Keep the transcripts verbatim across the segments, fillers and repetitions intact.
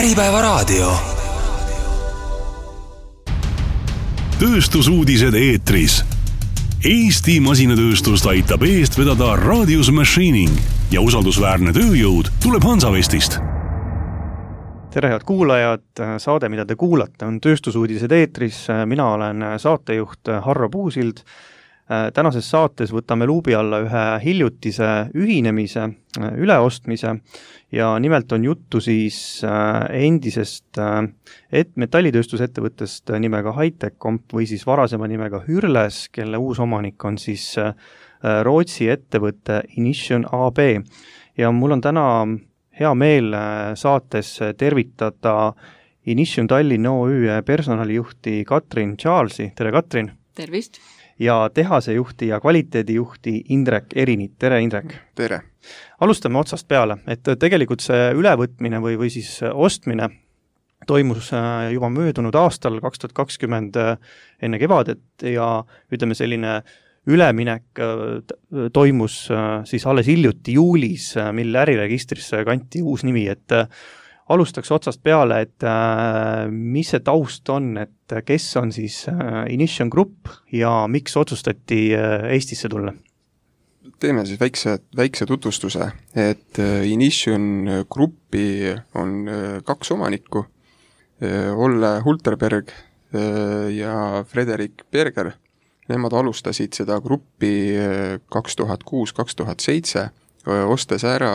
Äripäevaraadio. Tööstusuudised eetris. Eesti masinatööstust aitab eest vedada Radius Machining ja usaldusväärne tööjõud tuleb Hansavestist. Tere head kuulajad, saade mida te kuulate on Tööstusuudised eetris, mina olen saatejuht Harro Puusild. Tänases saates võtame luubi alla ühe hiljutise ühinemise, üleostmise ja nimelt on juttu siis endisest et metallitööstusettevõttest nimega Hightech Comp või siis varasema nimega Hürles, kelle uus omanik on siis Rootsi ettevõtte Inition A B. Ja mul on täna hea meel saates tervitada Inition Tallinn O Ü personalijuhti Katrin Charlesi. Tere Katrin! Tervist! Ja tehasejuhti ja kvaliteedijuhti Indrek Erinit. Tere Indrek! Tere! Alustame otsast peale, et tegelikult see ülevõtmine või, või siis ostmine toimus juba möödunud aastal kaks tuhat kakskümmend enne kevadet ja ütleme selline üleminek toimus siis alles hiljuti juulis, mil äriregistrisse kanti uus nimi, et alustaks otsast peale, et mis see taust on, et kes on siis Inition Group ja miks otsustati Eestisse tulla? Teeme siis väikse, väikse tutvustuse, et Inition Groupi on kaks omanikku, Olle Hulterberg ja Frederik Berger. Nemad alustasid seda gruppi kaks tuhat kuus kaks tuhat seitse, ostes ära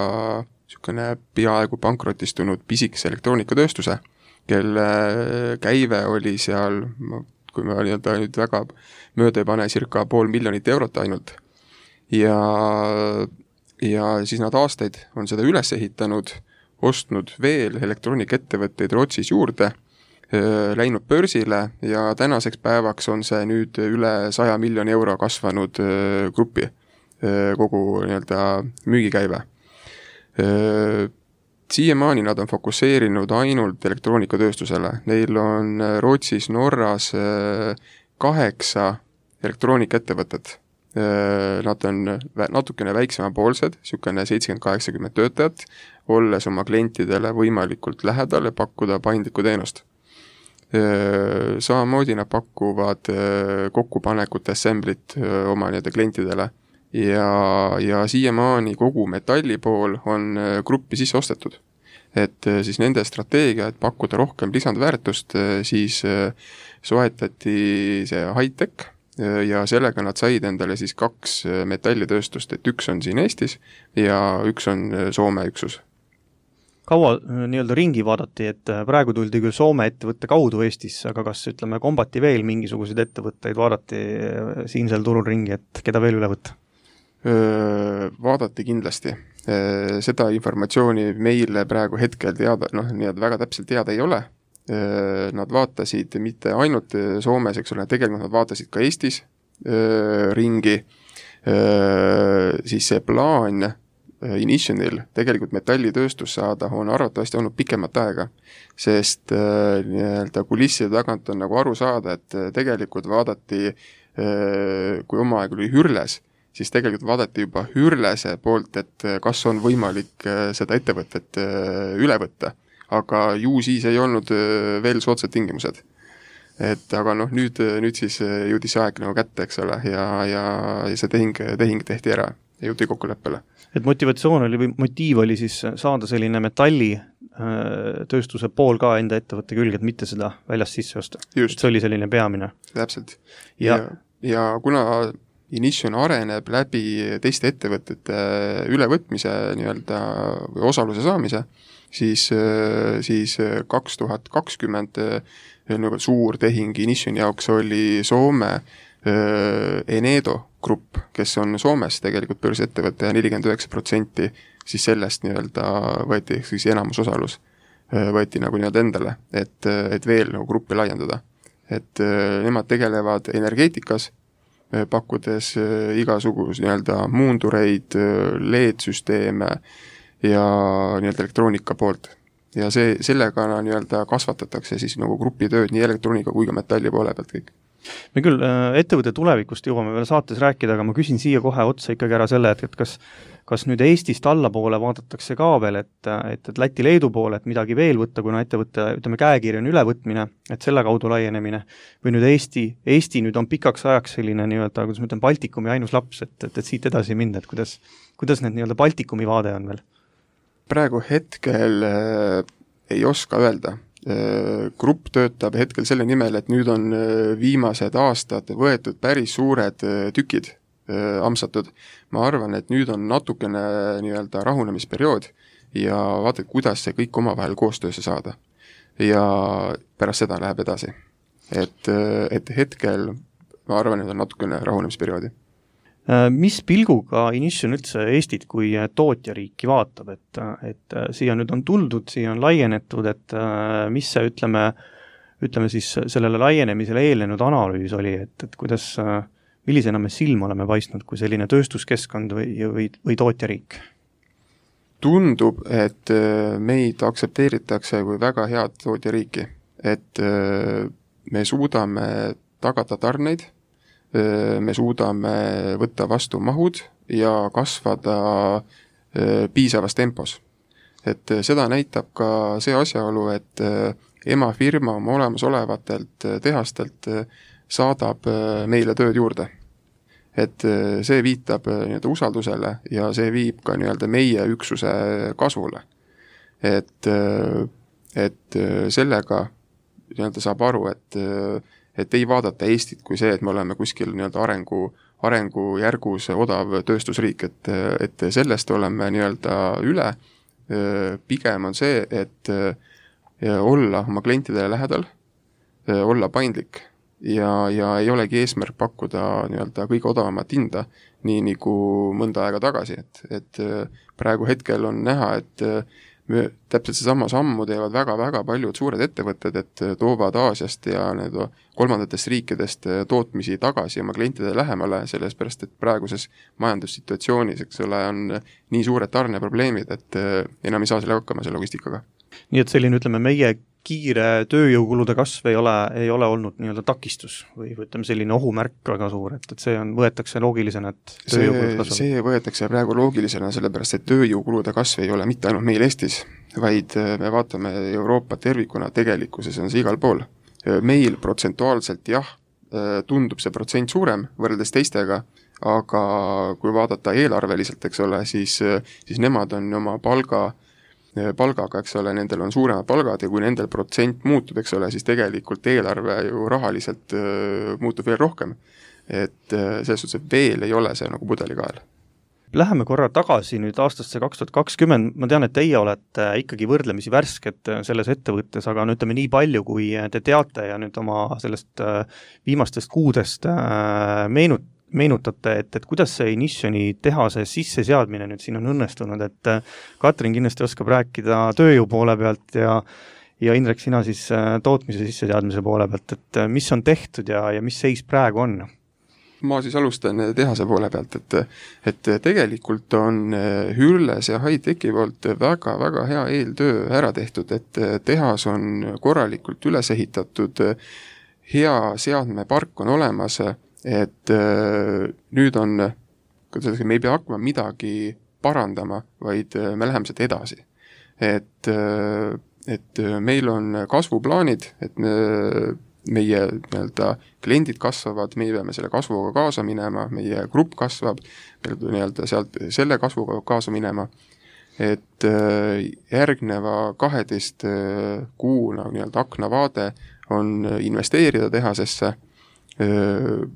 niisugune peaaegu pankrotistunud pisikese elektroonikatööstuse, kelle käive oli seal, kui me nii-öelda nüüd väga mööda ei pane, circa pool miljonit eurot ainult. Ja, ja siis nad aastaid on seda üles ehitanud, ostnud veel elektroonikaettevõtteid Rootsis juurde, läinud börsile ja tänaseks päevaks on see nüüd üle saja miljoni euro kasvanud gruppi kogu nii-öelda müügikäive. Siiamaani nad on fokusseerinud ainult elektroonikatööstusele. Neil on Rootsis, Norras kaheksa elektroonikaettevõtet. Nad on natukene väiksemapoolsed, niisugune seitsekümmend kaheksakümmend töötajat, olles oma klientidele võimalikult lähedal ja pakkuda paindlikku teenust. Samamoodi nad pakuvad kokkupanekut assemblit oma nii-öelda klientidele. Ja, ja siiamaani kogu metalli pool on gruppi sisse ostetud. Et siis nende strateegia, et pakkuda rohkem lisandväärtust, siis soetati see Hightech ja sellega nad said endale siis kaks metallitööstust, et üks on siin Eestis ja üks on Soome üksus. Kaua nii-öelda ringi vaadati, et praegu tuldi küll Soome ettevõtte kaudu Eestis, aga kas ütleme kombati veel mingisuguseid ettevõtteid, vaadati siinsel turul ringi, et keda veel üle võtta? Vaadati kindlasti. Seda informatsiooni meile praegu hetkel teada, noh, nii väga täpselt teada ei ole. Nad vaatasid mitte ainult Soomes, eks ole, tegelikult nad vaatasid ka Eestis ringi. Siis see plaan Initionil tegelikult metallitööstus saada on arvatavasti olnud pikemat aega, sest nii-öelda kulisside tagant on nagu aru saada, et tegelikult vaadati, kui oma aeg oli Hürles, siis tegelikult vaadati juba Hürlese poolt, et kas on võimalik seda ettevõtet üle võtta. Aga ju siis ei olnud veel soodsad tingimused. Et aga noh, nüüd, nüüd siis jõudis aeg nagu kätte, eks ole, ja, ja, ja see tehing, tehing tehti ära ja jõuti kokkuleppele. Et motivatsioon oli või motiiv oli siis saada selline metalli tööstuse pool ka enda ettevõtte külge, et mitte seda väljast sisse osta. Just. See oli selline peamine. Täpselt. Ja, ja, ja kuna Inition areneb läbi teiste ettevõtete ülevõtmise nii-öelda või osaluse saamise, siis, siis kaks tuhat kakskümmend nagu suur tehing Inition jaoks oli Soome Enedo grupp, kes on Soomes tegelikult börsiettevõtte ja nelikümmend üheksa protsenti siis sellest nii-öelda võeti siis enamusosalus võeti nagu nii-öelda endale, et, et veel nagu gruppi laiendada. Et nemad tegelevad energeetikas, pakkudes igasugus nii-öelda muundureid, L E D-süsteeme ja nii-öelda elektroonika poolt. Ja see, sellega nii-öelda kasvatatakse siis nagu grupi tööd nii elektroonika kui ka metalli poole pealt kõik. Me küll ettevõtte tulevikust jõuame veel saates rääkida, aga ma küsin siia kohe otsa ikkagi ära selle, et kas kas nüüd Eestist allapoole vaadatakse ka veel, et, et, et Läti-Leedu poole, et midagi veel võtta, kuna ettevõtte, ütleme, käekirja on ülevõtmine, et selle kaudu laienemine, või nüüd Eesti, Eesti nüüd on pikaks ajaks selline nii-öelda, kuidas ma ütlen, Baltikumi ainus laps, et, et, et siit edasi minna, et kuidas, kuidas need nii-öelda Baltikumi vaade on veel? Praegu hetkel äh, ei oska öelda. Äh, grupp töötab hetkel selle nimel, et nüüd on äh, viimased aastad võetud päris suured äh, tükid äh, amsatud. Ma arvan, et nüüd on natukene nii-öelda rahunemisperiood ja vaata, kuidas see kõik omavahel koostöösse saada. Ja pärast seda läheb edasi. Et, äh, et hetkel ma arvan, et on natukene rahunemisperioodi. Mis pilguga Inition üldse Eestit kui tootjariiki vaatab, et, et siia nüüd on tuldud, siia on laienetud, et mis see, ütleme, ütleme siis sellele laienemisele eelnenud analüüs oli, et, et kuidas, millisena me silma oleme paistnud kui selline tööstuskeskkond või, või, või tootjariik? Tundub, et meid aktsepteeritakse kui väga head tootjariiki, et me suudame tagada tarneid, me suudame võtta vastu mahud ja kasvada piisavas tempos. Et seda näitab ka see asjaolu, et emafirma oma olemasolevatelt tehastelt saadab meile tööd juurde. Et see viitab nii-öelda usaldusele ja see viib ka nii-öelda meie üksuse kasvule. Et, et sellega nii-öelda saab aru, et et ei vaadata Eestit kui see, et me oleme kuskil nii-öelda arengu, arengu järgus odav tööstusriik, et, et sellest oleme nii-öelda üle. Pigem on see, et olla oma klientidele lähedal, olla paindlik ja, ja ei olegi eesmärk pakkuda nii-öelda kõige odavamat hinda, nii nagu mõnda aega tagasi. Et, et praegu hetkel on näha, et me täpselt see sama sammu teevad väga-väga paljud suured ettevõtted, et toovad Aasiast ja need kolmandatest riikidest tootmisi tagasi oma klientide lähemale, sellest pärast, et praeguses majandussituatsioonis, eks ole, on nii suured tarneprobleemid, et enam ei saa selle hakkama selle logistikaga. Nii et selline, ütleme, meie kiire tööjõukulude kasv ei ole, ei ole olnud nii-öelda takistus või ütleme selline ohumärk väga suur, et, et see on, võetakse loogilisena, et tööjõukulud kasvavad. See võetakse praegu loogilisena, sellepärast et tööjõukulude kasv ei ole mitte ainult meil Eestis, vaid me vaatame Euroopa tervikuna, tegelikkuses on see igal pool. Meil protsentuaalselt jah, tundub see protsent suurem võrreldes teistega, aga kui vaadata eelarveliselt, eks ole, siis, siis nemad on oma palga palgaga, eks ole, nendel on suuremad palgad ja kui nendel protsent muutub, eks ole, siis tegelikult eelarve ju rahaliselt uh, muutub veel rohkem. Et uh, selles suhtes, et veel ei ole see nagu pudelikael. Läheme korra tagasi nüüd aastasse kaks tuhat kakskümmend, ma tean, et teie olete ikkagi võrdlemisi värsked selles ettevõttes, aga no ütleme nii palju, kui te teate ja nüüd oma sellest viimastest kuudest meenut, meenutate, et, et kuidas see Initioni tehase sisseseadmine nüüd siin on õnnestunud, et Katrin kindlasti oskab rääkida tööjõu poole pealt ja, ja Indrek, sina siis tootmise sisseseadmise poole pealt, et mis on tehtud ja, ja mis seis praegu on? Ma siis alustan tehase poole pealt, et, et tegelikult on Hürles ja High-Techi poolt väga-väga hea eeltöö ära tehtud, et tehas on korralikult üles ehitatud, hea seadmepark on olemas, et äh, nüüd on, me ei pea hakkama midagi parandama, vaid äh, me läheme sealt edasi. Et, äh, et meil on kasvuplaanid, et me, meie nii-öelda kliendid kasvavad, meie peame selle kasvuga kaasa minema, meie grupp kasvab, nii-öelda sealt selle kasvuga kaasa minema, et äh, järgneva kaheteist kuuna nii-öelda aknavaade on investeerida tehasesse,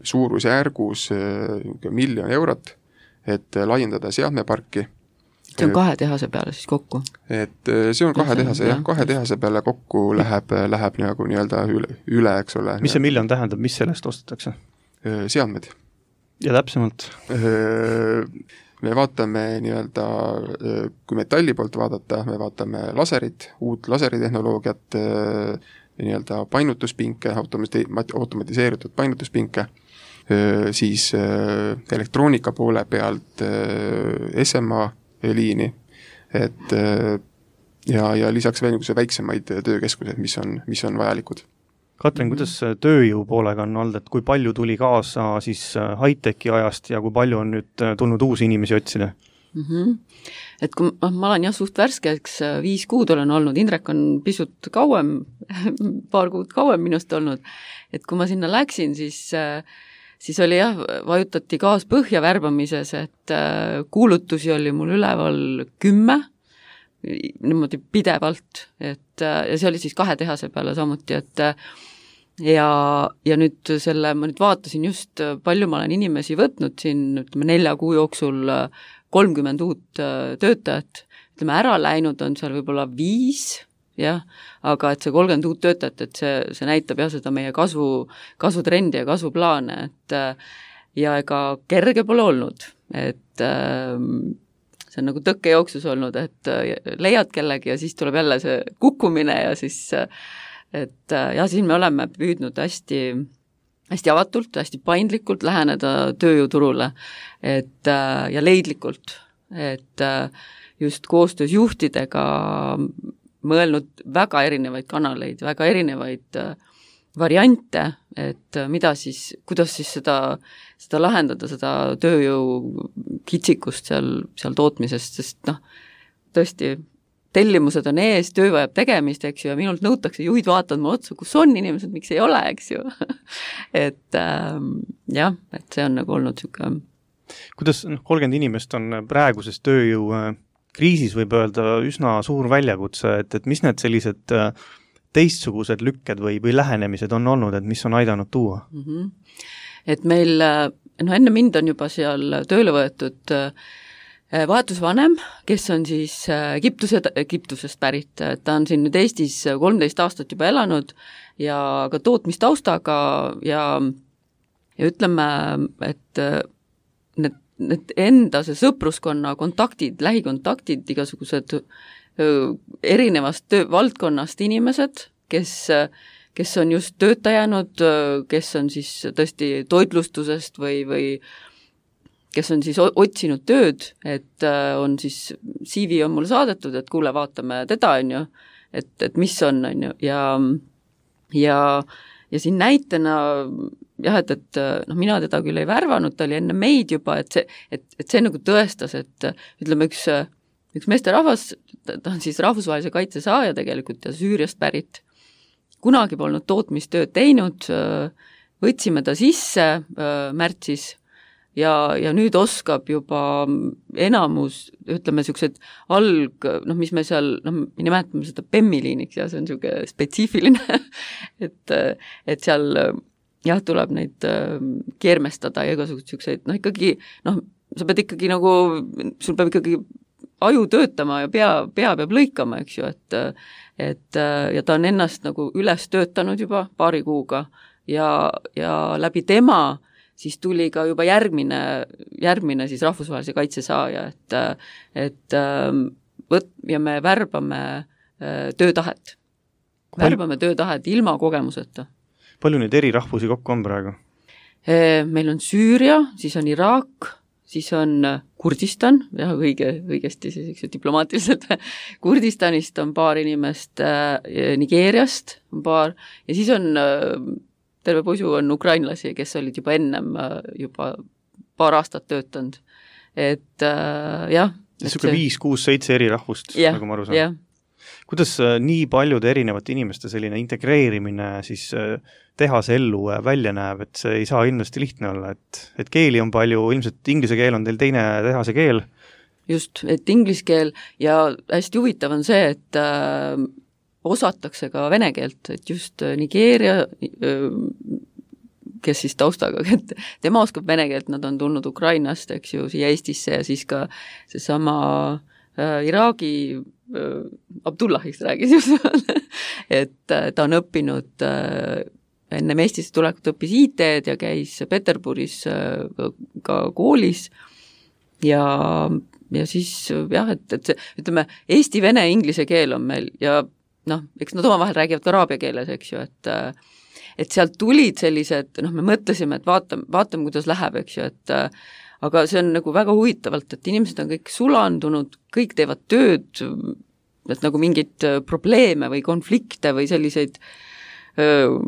suurusjärgus miljon eurot, et laiendada seadmeparki. See on kahe tehase peale siis kokku? Et see on kahe tehase, jah, kahe tehase peale kokku läheb, läheb nagu nii-öelda üle, üle, eks ole. Mis see miljon tähendab, mis sellest ostetakse? Seadmed. Ja täpsemalt? Me vaatame nii-öelda, kui metalli poolt vaadata, me vaatame laserit, uut laseritehnoloogiat, nii-öelda painutuspinke, automatiseeritud painutuspinke, siis elektroonika poole pealt S M A liini, et ja, ja lisaks veel niisuguse väiksemaid töökeskused, mis on, mis on vajalikud. Katrin, kuidas tööjõu poolega on olnud, et kui palju tuli kaasa siis High-Techi ajast ja kui palju on nüüd tulnud uusi inimesi otsida? Mm-hmm. Et kui ma, ma olen jah suht värskeks, viis kuud olen olnud, Indrek on pisut kauem, paar kuud kauem minust olnud, et kui ma sinna läksin, siis, siis oli jah, vajutati gaas põhja värbamises, et kuulutusi oli mul üleval kümme, niimoodi pidevalt, et ja see oli siis kahe tehase peale samuti, et ja, ja nüüd selle, ma nüüd vaatasin just, palju ma olen inimesi võtnud siin, ütleme nelja kuu jooksul kolmkümmend uut töötajat, ütleme ära läinud on seal võib-olla viis, jah, aga et see kolmkümmend uut töötajat, et see, see näitab jah seda meie kasvu, kasvutrendi ja kasvuplaane, et ja ega kerge pole olnud, et see on nagu tõkkejooksus olnud, et leiad kellegi ja siis tuleb jälle see kukkumine ja siis, et ja siis me oleme püüdnud hästi hästi avatult, hästi paindlikult läheneda tööjõuturule, et ja leidlikult, et just koostöös juhtidega mõelnud väga erinevaid kanaleid, väga erinevaid variante, et mida siis, kuidas siis seda, seda lahendada, seda tööjõu kitsikust seal, seal tootmisest, sest noh, tõesti tellimused on ees, töö vajab tegemist, eks ju, ja minult nõutakse, juhid vaatavad mu otsa, kus on inimesed, miks ei ole, eks ju. et ähm, jah, et see on nagu olnud siuke. Kuidas noh, kolmkümmend inimest on praeguses tööjõu kriisis võib öelda üsna suur väljakutse, et, et mis need sellised teistsugused lükked või, või lähenemised on olnud, et mis on aidanud tuua? Mm-hmm. Et meil, no enne mind on juba seal tööle võetud vahetusvanem, kes on siis Egiptuse, Egiptusest pärit, ta on siin nüüd Eestis kolmteist aastat juba elanud ja ka tootmistaustaga ja, ja ütleme, et need, need enda see sõpruskonna kontaktid, lähikontaktid, igasugused erinevast töö, valdkonnast inimesed, kes, kes on just tööta jäänud, kes on siis tõesti toitlustusest või, või kes on siis otsinud tööd, et on siis C V on mulle saadetud, et kuule, vaatame teda, on ju, et, et mis on, on ju, ja, ja, ja siin näitena jah, et, et noh, mina teda küll ei värvanud, ta oli enne meid juba, et see, et, et see nagu tõestas, et ütleme, üks, üks meesterahvas, ta on siis rahvusvahelise kaitse saaja tegelikult ja Süüriast pärit, kunagi polnud tootmistööd teinud, võtsime ta sisse märtsis, ja, ja nüüd oskab juba enamus, ütleme, niisugused alg, noh, mis me seal, noh, me nimetame seda P E M-i-liiniks ja see on niisugune spetsiifiline, et, et seal jah, tuleb neid keermestada ja igasugused niisugused, noh, ikkagi, noh, sa pead ikkagi nagu, sul peab ikkagi aju töötama ja pea, pea peab lõikama, eks ju, et, et ja ta on ennast nagu üles töötanud juba paari kuuga ja, ja läbi tema siis tuli ka juba järgmine, järgmine siis rahvusvahelise kaitse saaja, et, et võt, ja me värbame töötahet. Värbame töötahet ilma kogemuseta. Palju neid eri rahvusi kokku on praegu? Meil on Süüria, siis on Iraak, siis on Kurdistan, jah, õige, õigesti siis diplomaatiliselt, Kurdistanist on paar inimest, Nigeeriast on paar ja siis on terve pusu on ukrainlasi, kes olid juba ennem juba paar aastat töötanud. Et äh, jah. Niisugune viis, kuus, seitse eri rahvust, yeah, nagu ma aru saan. Yeah. Kuidas nii paljude erinevate inimeste selline integreerimine siis tehase ellu välja näeb, et see ei saa ilmselt lihtne olla, et, et keeli on palju, ilmselt inglise keel on teil teine tehase keel? Just, et inglise keel ja hästi huvitav on see, et äh, osatakse ka vene keelt, et just Nigeeria, kes siis taustaga, et tema oskab vene keelt, nad on tulnud Ukrainast, eks ju, siia Eestisse ja siis ka seesama äh, Iraagi äh, Abdullahiks räägis just, et äh, ta on õppinud äh, ennem Eestisse tulekut õppis I T-d ja käis Peterburis äh, ka koolis ja, ja siis jah, et, et see, ütleme, eesti, vene, inglise keel on meil ja noh, eks nad omavahel räägivad ka araabia keeles, eks ju, et et sealt tulid sellised, noh, me mõtlesime, et vaatame, vaatame, kuidas läheb, eks ju, et aga see on nagu väga huvitavalt, et inimesed on kõik sulandunud, kõik teevad tööd, et nagu mingeid probleeme või konflikte või selliseid öö,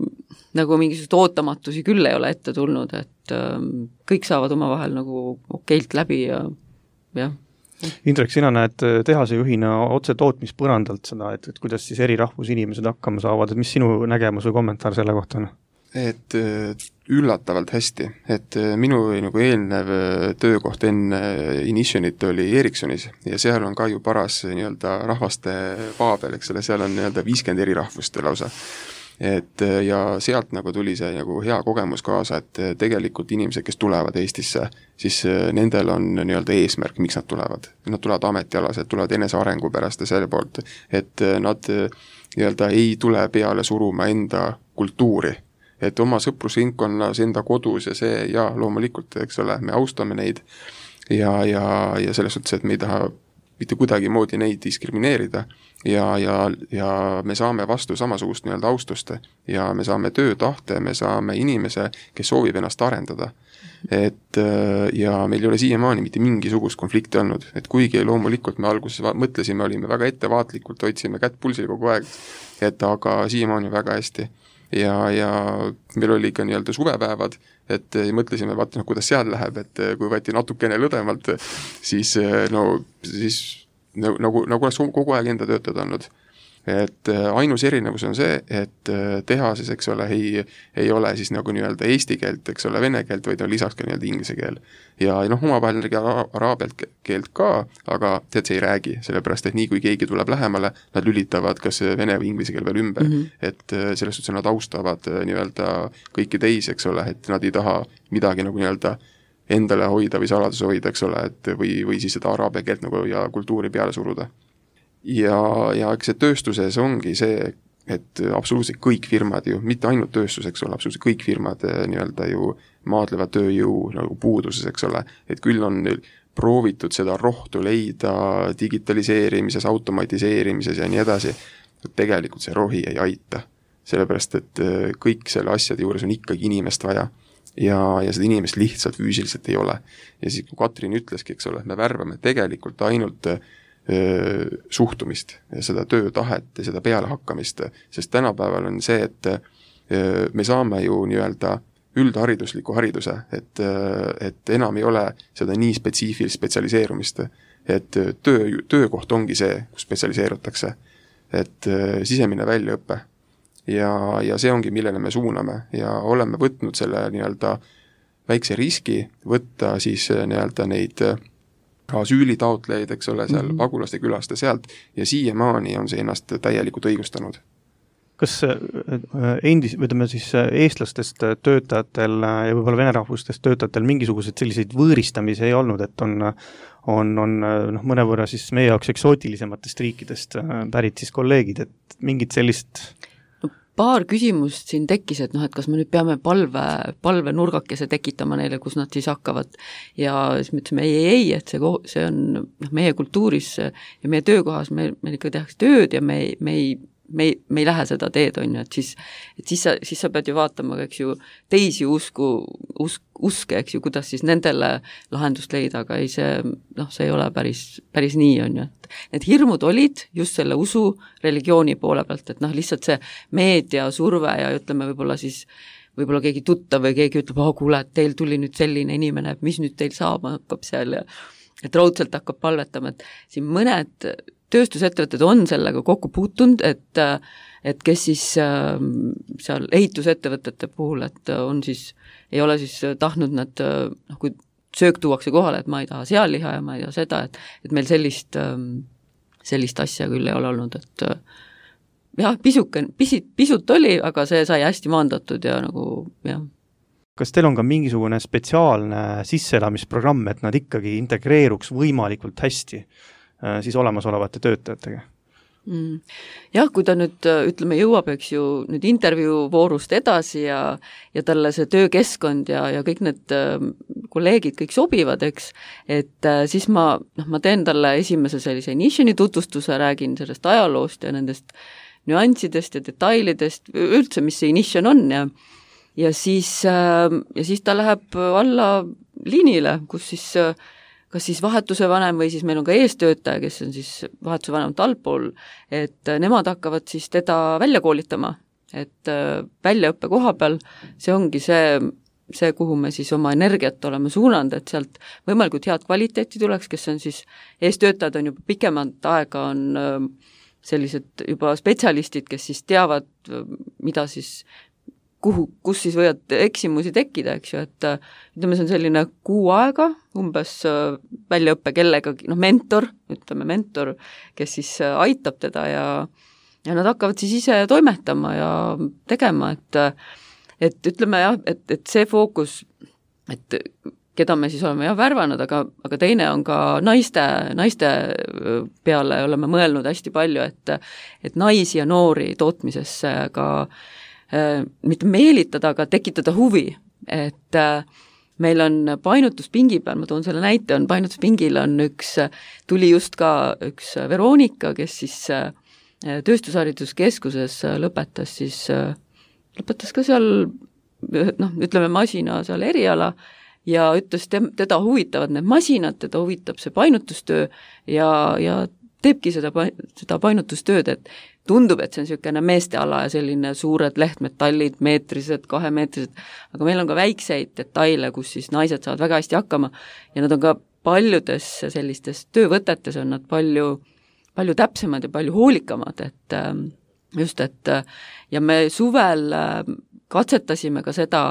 nagu mingisugused ootamatusi küll ei ole ette tulnud, et öö, kõik saavad omavahel nagu okeilt läbi ja jah. Indrek, sina näed tehase juhina otse tootmispõrandalt seda, et, et kuidas siis eri rahvusinimesed hakkama saavad, et mis sinu nägemus või kommentaar selle kohta on? Et üllatavalt hästi, et minu nagu eelnev töökoht enne Initionit oli Ericssonis ja seal on ka ju paras nii-öelda rahvaste paabel, eks ole, seal on nii-öelda viiskümmend eri rahvust lausa. Et ja sealt nagu tuli see nagu hea kogemus kaasa, et tegelikult inimesed, kes tulevad Eestisse, siis nendel on nii-öelda eesmärk, miks nad tulevad. Nad tulevad ametialased, tulevad enese arengu pärast ja selle poolt, et nad nii-öelda ei tule peale suruma enda kultuuri, et oma sõprusringkonnas, enda kodus ja see, ja loomulikult, eks ole, me austame neid ja, ja, ja selles suhtes, et me ei taha mitte kuidagi moodi neid diskrimineerida ja, ja, ja me saame vastu samasugust nii-öelda austust ja me saame töötahte, me saame inimese, kes soovib ennast arendada. Et ja meil ei ole siiamaani mitte mingisugust konflikti olnud, et kuigi loomulikult me alguses mõtlesime, olime väga ettevaatlikult, hoidsime kätt pulsil kogu aeg, et aga siiamaani väga hästi. Ja, ja meil oli ka nii-öelda suvepäevad, et mõtlesime, vaata, no, kuidas seal läheb, et kui võeti natukene lõdemalt, siis, no, siis nagu, nagu oleks kogu aeg enda töötajad olnud. Et ainus erinevus on see, et tehases, eks ole, ei, ei ole siis nagu nii-öelda eesti keelt, eks ole, vene keelt, vaid on lisaks ka nii-öelda inglise keel. Ja noh, omavahel araabia keelt ka, aga tead, see ei räägi, sellepärast, et nii kui keegi tuleb lähemale, nad lülitavad kas vene või inglise keel veel ümber. Mm-hmm. Et selles suhtes nad austavad nii-öelda kõiki teisi, eks ole, et nad ei taha midagi nagu nii-öelda endale hoida või saladuse hoida, eks ole, et või, või siis seda araabia keelt nagu ja kultuuri peale suruda. Ja, ja eks see tööstuses ongi see, et absoluutselt kõik firmad ju, mitte ainult tööstus, eks ole, absoluutselt kõik firmad nii-öelda ju maadlevad tööjõu nagu puuduses, eks ole, et küll on proovitud seda rohtu leida digitaliseerimises, automatiseerimises ja nii edasi, tegelikult see rohi ei aita, sellepärast et kõik selle asjade juures on ikkagi inimest vaja ja, ja seda inimest lihtsalt füüsiliselt ei ole. Ja siis kui Katrin ütleski, eks ole, me värvame tegelikult ainult suhtumist ja seda töötahet ja seda pealehakkamist, sest tänapäeval on see, et me saame ju nii-öelda üldharidusliku hariduse, et, et enam ei ole seda nii spetsiifilist spetsialiseerumist, et töö, töökoht ongi see, kus spetsialiseerutakse, et sisemine väljaõppe ja, ja see ongi, millele me suuname ja oleme võtnud selle nii-öelda väikse riski võtta siis nii-öelda neid asüülitaotlejaid, eks ole, seal mm-hmm. pagulaste külast ja sealt ja siiamaani on see ennast täielikult õigustanud. Kas endis, ütleme siis eestlastest töötajatel ja võib-olla venerahvustest töötajatel mingisugused selliseid võõristamisi ei olnud, et on, on, on noh, mõnevõrra siis meie jaoks eksootilisematest riikidest pärit siis kolleegid, et mingit sellist paar küsimust siin tekkis, et noh, et kas me nüüd peame palve, palve nurgakese tekitama neile, kus nad siis hakkavad ja siis me ütlesime ei, ei, ei, et see, see on noh, meie kultuuris ja meie töökohas, me, meil ikka tehakse tööd ja me, me ei me ei, me ei lähe seda teed, on ju, et siis, et siis sa, siis sa pead ju vaatama, eks ju, teisi usku, usk, uske, eks ju, kuidas siis nendele lahendust leida, aga ei see, noh, see ei ole päris, päris nii, on ju, et need hirmud olid just selle usu religiooni poole pealt, et noh, lihtsalt see meedia surve ja ütleme võib-olla siis võib-olla keegi tuttav või keegi ütleb, oh kuule, et teil tuli nüüd selline inimene, et mis nüüd teil saama hakkab seal ja et raudselt hakkab palvetama, et siin mõned tööstusettevõtted on sellega kokku puutunud, et, et kes siis äh, seal ehitusettevõtete puhul, et on siis, ei ole siis tahtnud nad, noh kui söök tuuakse kohale, et ma ei taha sealiha ja ma ei taha seda, et, et meil sellist, sellist asja küll ei ole olnud, et jah, pisuke, pisit, pisut oli, aga see sai hästi maandatud ja nagu jah. Kas teil on ka mingisugune spetsiaalne sisseelamisprogramm, et nad ikkagi integreeruks võimalikult hästi siis olemasolevate töötajatega? Mm. Jah, kui ta nüüd, ütleme, jõuab, eks ju, nüüd intervjuu voorust edasi ja, ja talle see töökeskkond ja, ja kõik need kolleegid kõik sobivad, eks, et siis ma, noh, ma teen talle esimese sellise Initioni tutvustuse, räägin sellest ajaloost ja nendest nüanssidest ja detailidest, üldse, mis see Inition on ja ja siis, ja siis ta läheb alla liinile, kus siis kas siis vahetuse vanem või siis meil on ka eestöötaja, kes on siis vahetuse vanemalt allpool, et nemad hakkavad siis teda välja koolitama, et väljaõppe koha peal see ongi see, see, kuhu me siis oma energiat oleme suunanud, et sealt võimalikult head kvaliteeti tuleks, kes on siis, eestöötajad on juba pikemat aega, on sellised juba spetsialistid, kes siis teavad, mida siis kuhu, kus siis võivad eksimusi tekkida, eks ju, et ütleme, see on selline kuu aega, umbes väljaõppe kellegagi, noh, mentor, ütleme mentor, kes siis aitab teda ja, ja nad hakkavad siis ise toimetama ja tegema, et, et ütleme jah, et, et see fookus, et keda me siis oleme jah värvanud, aga, aga teine on ka naiste, naiste peale oleme mõelnud hästi palju, et, et naisi ja noori tootmisesse ka mitte meelitada, aga tekitada huvi, et meil on painutuspingi peal, ma toon selle näite, on painutuspingil on üks, tuli just ka üks Veronika, kes siis tööstushariduskeskuses lõpetas siis, lõpetas ka seal, noh, ütleme masina seal eriala ja ütles, teda huvitavad need masinad, teda huvitab see painutustöö ja, ja teebki seda, seda painutustööd, et tundub, et see on niisugune meesteala ja selline suured lehtmetallid, meetrised, kahemeetrised, aga meil on ka väikseid detaile, kus siis naised saavad väga hästi hakkama ja nad on ka paljudes sellistes töövõtetes on nad palju, palju täpsemad ja palju hoolikamad, et just, et ja me suvel katsetasime ka seda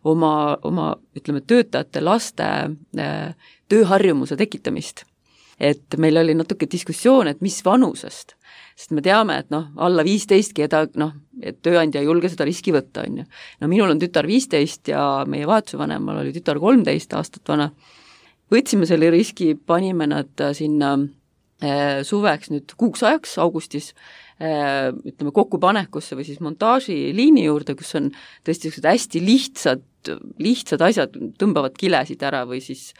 oma, oma ütleme, töötajate laste tööharjumuse tekitamist. Et meil oli natuke diskussioon, et mis vanusest, sest me teame, et noh, alla viisteistki eda, noh, et tööandja ei julge seda riski võtta, on ju. No minul on tütar viisteist ja meie vahetusvanemal oli tütar kolmteist aastat vana. Võtsime selle riski, panime nad sinna äh, suveks nüüd kuuks ajaks augustis, äh, ütleme kokkupanekusse või siis montaažiliini juurde, kus on tõesti hästi lihtsad, lihtsad asjad, tõmbavad kilesid ära või siis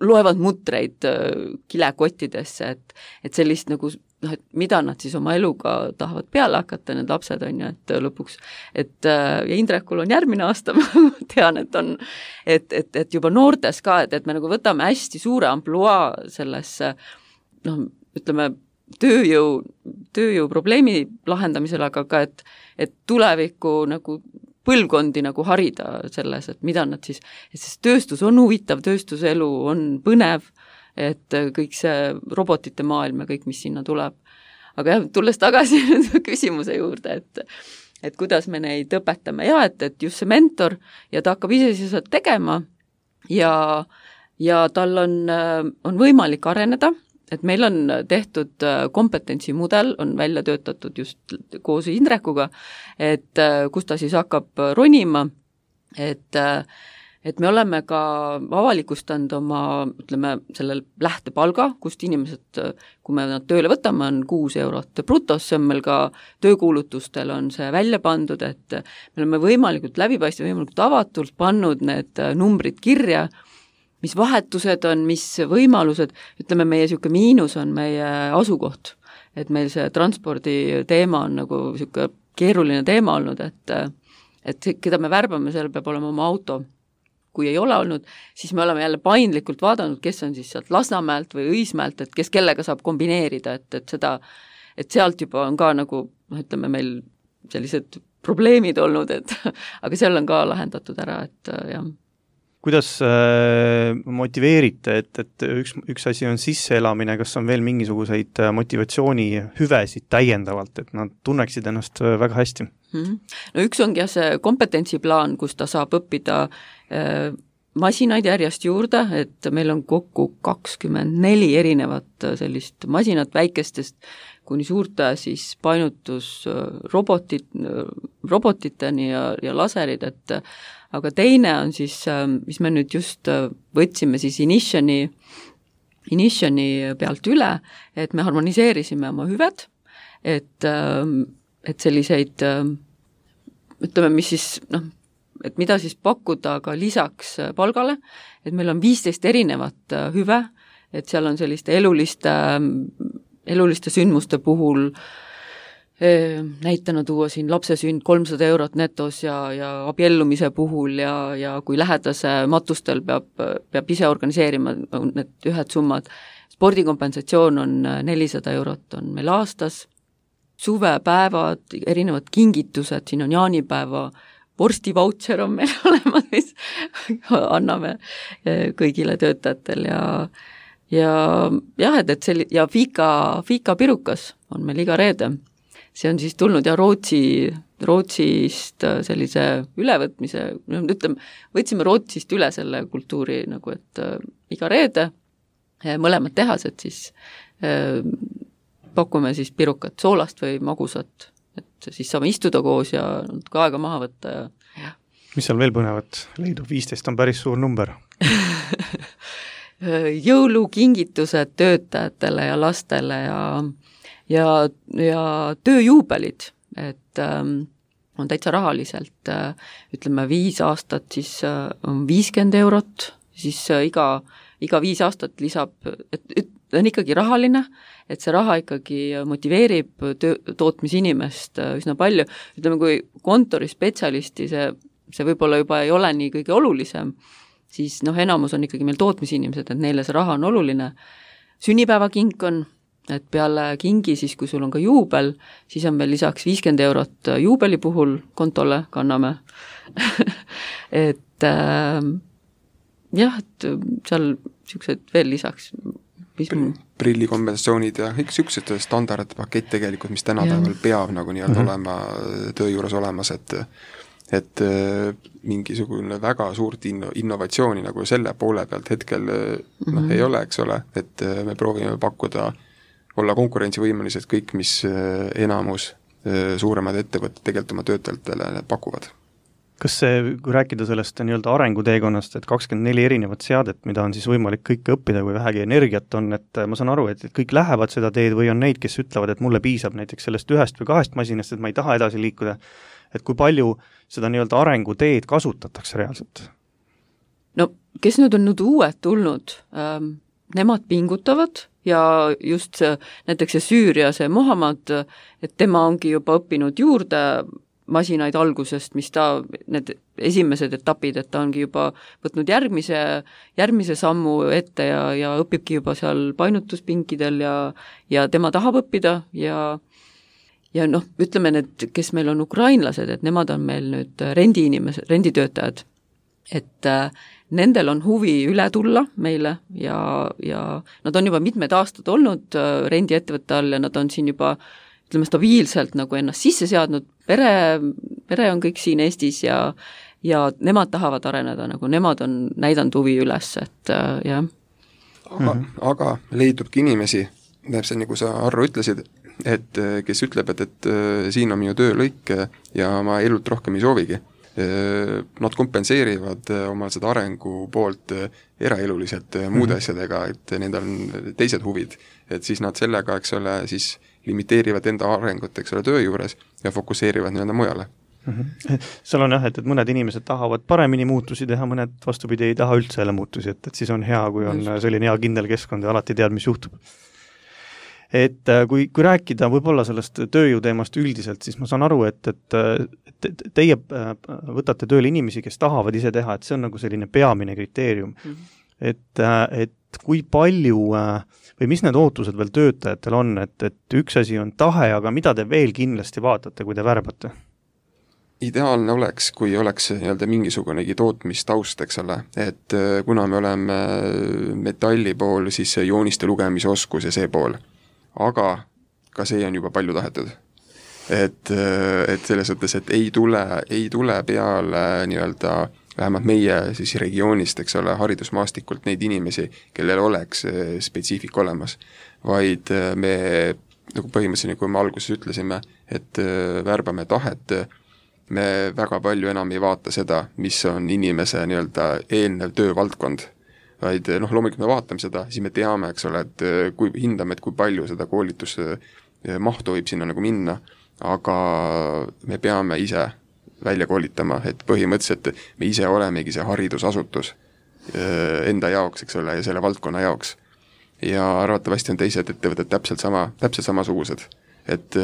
loevad mutreid kilekottidesse, et, et sellist nagu, noh, et mida nad siis oma eluga tahavad peale hakata, need lapsed on ju, et lõpuks, et ja Indrekul on järgmine aasta, ma tean, et on, et, et, et juba noortes ka, et, et me nagu võtame hästi suure ampluaa sellesse, noh, ütleme, tööjõu, tööjõu probleemi lahendamisel, aga ka, et, et tuleviku nagu põlvkondi nagu harida selles, et mida nad siis, et siis tööstus on huvitav, tööstuselu on põnev, et kõik see robotite maailm ja kõik, mis sinna tuleb. Aga jah, tulles tagasi küsimuse juurde, et, et kuidas me neid õpetame ja et, et just see mentor ja ta hakkab ise siis tegema ja, ja tal on, on võimalik areneda, et meil on tehtud kompetentsimudel, on välja töötatud just koos Indrekuga, et kus ta siis hakkab ronima, et, et me oleme ka avalikustanud oma, ütleme, selle lähtepalga, kust inimesed, kui me nad tööle võtame, on kuus eurot brutos, see on meil ka töökuulutustel on see välja pandud, et me oleme võimalikult läbipaistva, võimalikult avatult pannud need numbrid kirja, mis vahetused on, mis võimalused, ütleme, meie niisugune miinus on meie asukoht, et meil see transpordi teema on nagu niisugune keeruline teema olnud, et, et keda me värbame, seal peab olema oma auto. Kui ei ole olnud, siis me oleme jälle paindlikult vaadanud, kes on siis sealt Lasnamäelt või Õismäelt, et kes kellega saab kombineerida, et, et seda, et sealt juba on ka nagu, noh, ütleme meil sellised probleemid olnud, et aga seal on ka lahendatud ära, et jah. Kuidas äh, motiveerite, et, et üks, üks asi on sisseelamine, kas on veel mingisuguseid motivatsioonihüvesid täiendavalt, et nad tunneksid ennast väga hästi? Mm-hmm. No üks ongi jah see kompetentsiplaan, kus ta saab õppida äh, masinaid järjest juurde, et meil on kokku kakskümmend neli erinevat sellist masinat väikestest kuni suurte siis painutusrobotid, robotiteni ja, ja laserid, et aga teine on siis, mis me nüüd just võtsime siis Initioni, Initioni pealt üle, et me harmoniseerisime oma hüved, et, et selliseid, ütleme, mis siis, noh, et mida siis pakkuda ka lisaks palgale, et meil on viisteist erinevat hüve, et seal on selliste eluliste, eluliste sündmuste puhul näitena tuua siin lapse sünd kolmsada eurot netos ja, ja abiellumise puhul ja, ja kui lähedase matustel peab, peab ise organiseerima need ühed summad. Spordikompensatsioon on nelisada eurot on meil aastas, suvepäevad, erinevad kingitused, siin on jaanipäeva vorsti vautšer on meil olemas, mis anname kõigile töötajatel ja ja jah, et, et see ja Fika, Fika pirukas on meil iga reede. See on siis tulnud ja Rootsi, Rootsist sellise ülevõtmise, ütleme, võtsime Rootsist üle selle kultuuri nagu, et äh, iga reede mõlemad tehased siis äh, pakume siis pirukat, soolast või magusat, et siis saame istuda koos ja natuke aega maha võtta ja, ja. Mis seal veel põnevat leidub? viisteist on päris suur number. Jõulukingitused töötajatele ja lastele ja ja, ja tööjuubelid, et ähm, on täitsa rahaliselt, äh, ütleme viis aastat, siis äh, on viiskümmend eurot, siis äh, iga, iga viis aastat lisab, et, et on ikkagi rahaline, et see raha ikkagi motiveerib töö, tootmisinimest äh, üsna palju, ütleme, kui kontorispetsialisti see, see võib-olla juba ei ole nii kõige olulisem, siis noh, enamus on ikkagi meil tootmisinimesed, et neile see raha on oluline, sünnipäevakink on, et peale kingi siis, kui sul on ka juubel, siis on veel lisaks viiskümmend eurot juubeli puhul kontole kanname. et äh, jah, et seal niisugused veel lisaks. Prillikombinatsioonid ja kõik niisugused standardpakett tegelikult, mis tänapäeval peab nagu nii-öelda mm-hmm. olema töö juures olemas, et et mingisugune väga suurt inno, innovatsiooni nagu selle poole pealt hetkel mm-hmm. noh, ei ole, eks ole, et me proovime pakkuda olla konkurentsivõimelised kõik, mis enamus suuremad ettevõtted tegelikult oma töötajatele pakuvad. Kas see, kui rääkida sellest nii-öelda arenguteekonnast, et kakskümmend neli erinevat seadet, mida on siis võimalik kõike õppida, kui vähegi energiat on, et ma saan aru, et kõik lähevad seda teed või on neid, kes ütlevad, et mulle piisab näiteks sellest ühest või kahest masinast, et ma ei taha edasi liikuda, et kui palju seda nii-öelda arenguteed kasutatakse reaalselt? No, kes nüüd on nüüd uued tulnud, ähm, nemad pingutavad ja just see, näiteks see Süüria, see Muhammad, et tema ongi juba õppinud juurde masinaid algusest, mis ta, need esimesed etapid, et ta ongi juba võtnud järgmise, järgmise sammu ette ja, ja õpibki juba seal painutuspinkidel ja, ja tema tahab õppida ja ja noh, ütleme need, kes meil on ukrainlased, et nemad on meil nüüd rendiinimesed, renditöötajad, et äh, nendel on huvi üle tulla meile ja, ja nad on juba mitmed aastad olnud äh, rendiettevõtte all ja nad on siin juba ütleme stabiilselt nagu ennast sisse seadnud, pere, pere on kõik siin Eestis ja, ja nemad tahavad areneda, nagu nemad on näidanud huvi üles, et äh, jah. Aga, aga leidubki inimesi, täpselt nagu sa, Arro, ütlesid, et kes ütleb, et, et siin on minu töölõik ja ma elult rohkem ei soovigi. Nad kompenseerivad omal seda arengu poolt eraeluliselt muude asjadega, et nendel on teised huvid, et siis nad sellega, eks ole, siis limiteerivad enda arengut, eks ole, töö juures ja fokusseerivad nii-öelda mujale. Mm-hmm. Seal on jah, et, et mõned inimesed tahavad paremini muutusi teha, mõned vastupidi ei taha üldse jälle muutusi, et, et siis on hea, kui on selline hea kindel keskkond ja alati tead, mis juhtub. Et kui, kui rääkida võib-olla sellest tööjõuteemast üldiselt, siis ma saan aru, et, et, et teie võtate tööle inimesi, kes tahavad ise teha, et see on nagu selline peamine kriteerium. Mm-hmm. Et, et kui palju või mis need ootused veel töötajatel on, et, et üks asi on tahe, aga mida te veel kindlasti vaatate, kui te värbate? Ideaalne oleks, kui oleks nii-öelda mingisugunegi tootmistaust, eks ole, et kuna me oleme metalli pool, siis jooniste lugemise oskus ja see pool. Aga ka see on juba palju tahetud. Et, et selles mõttes, et ei tule, ei tule peale nii-öelda vähemalt meie siis regioonist, eks ole, haridusmaastikult neid inimesi, kellel oleks spetsiifik olemas, vaid me, nagu põhimõtteliselt, kui me alguses ütlesime, et värbame tahet, me väga palju enam ei vaata seda, mis on inimese nii-öelda eelnev töövaldkond, vaid noh, loomulikult me vaatame seda, siis me teame, eks ole, et kui hindame, et kui palju seda koolitusmahtu võib sinna nagu minna, aga me peame ise välja koolitama, et põhimõtteliselt me ise olemegi see haridusasutus enda jaoks, eks ole, ja selle valdkonna jaoks. Ja arvatavasti on teised ettevõtted täpselt sama, täpselt samasugused, et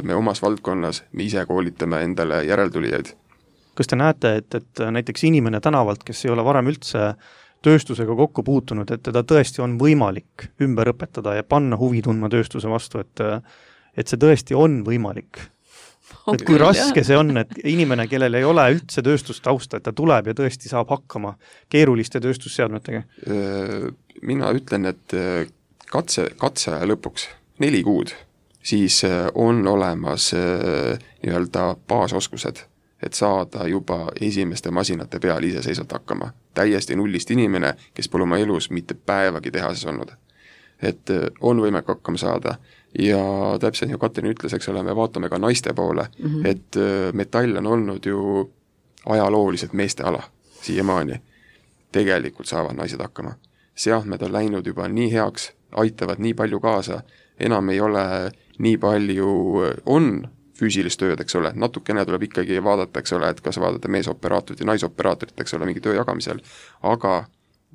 me omas valdkonnas me ise koolitame endale järeltulijaid. Kas te näete, et, et näiteks inimene tänavalt, kes ei ole varem üldse tööstusega kokku puutunud, et teda tõesti on võimalik ümber õpetada ja panna huvi tundma tööstuse vastu, et, et see tõesti on võimalik? et kui raske see on, et inimene, kellel ei ole üldse tööstustausta, et ta tuleb ja tõesti saab hakkama keeruliste tööstusseadmetega? Mina ütlen, et katse, katse lõpuks neli kuud, siis on olemas nii-öelda baasoskused, et saada juba esimeste masinate peal iseseisvalt hakkama. Täiesti nullist inimene, kes pole oma elus mitte päevagi tehases olnud. Et on võimalik hakkama saada ja täpselt nagu Katrin ütles, eks ole, me vaatame ka naiste poole, mm-hmm. et metall on olnud ju ajalooliselt meeste ala siiamaani. Tegelikult saavad naised hakkama. Seadmed on läinud juba nii heaks, aitavad nii palju kaasa, enam ei ole nii palju, on füüsilist tööd, eks ole, natukene tuleb ikkagi vaadata, eks ole, et kas vaadata meesoperaatorit ja naisoperaatorit, eks ole, mingi töö jagamisel, aga